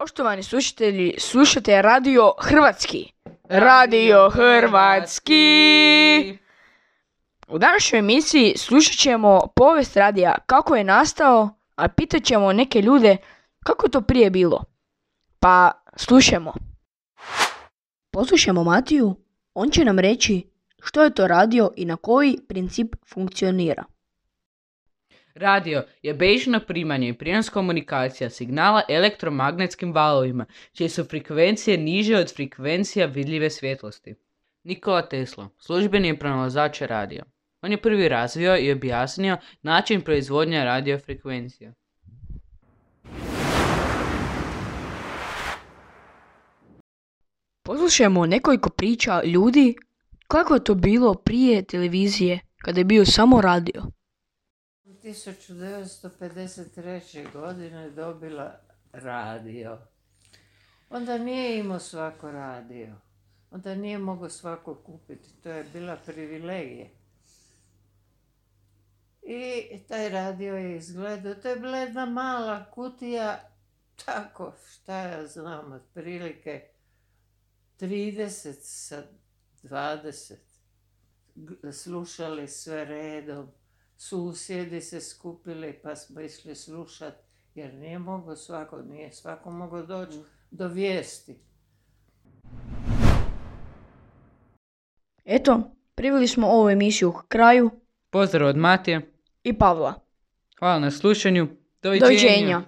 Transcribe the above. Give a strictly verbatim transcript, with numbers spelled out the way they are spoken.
Poštovani slušatelji, slušate Radio Hrvatski. Radio Hrvatski. U današnjoj emisiji slušat ćemo povijest radija, kako je nastao, a pitat ćemo neke ljude kako je to prije bilo. Pa slušajmo. Poslušajmo Matiju, on će nam reći što je to radio i na koji princip funkcionira. Radio je bežno primanje i prijenos komunikacija signala elektromagnetskim valovima, čije su frekvencije niže od frekvencija vidljive svjetlosti. Nikola Tesla, službeni je pronalazač radio. On je prvi razvio i objasnio način proizvodnje radiofrekvencija. Poslušajmo nekoliko priča ljudi kako je to bilo prije televizije, kada je bio samo radio. tisuću devetsto pedeset treće. godine dobila radio. Onda nije imao svako radio. Onda nije mogao svako kupiti. To je bila privilegija. I taj radio je izgledao. To je bila jedna mala kutija, tako, šta ja znam, otprilike trideset sa dvadeset. Slušali sve redom. Susjedi se skupili pa smo išli slušat, jer nije mogao svako, nije svako mogao doći do vijesti. Eto, priveli smo ovu emisiju k kraju. Pozdrav od Matije I Pavla. Hvala na slušanju. Doviđenja. Doviđenja.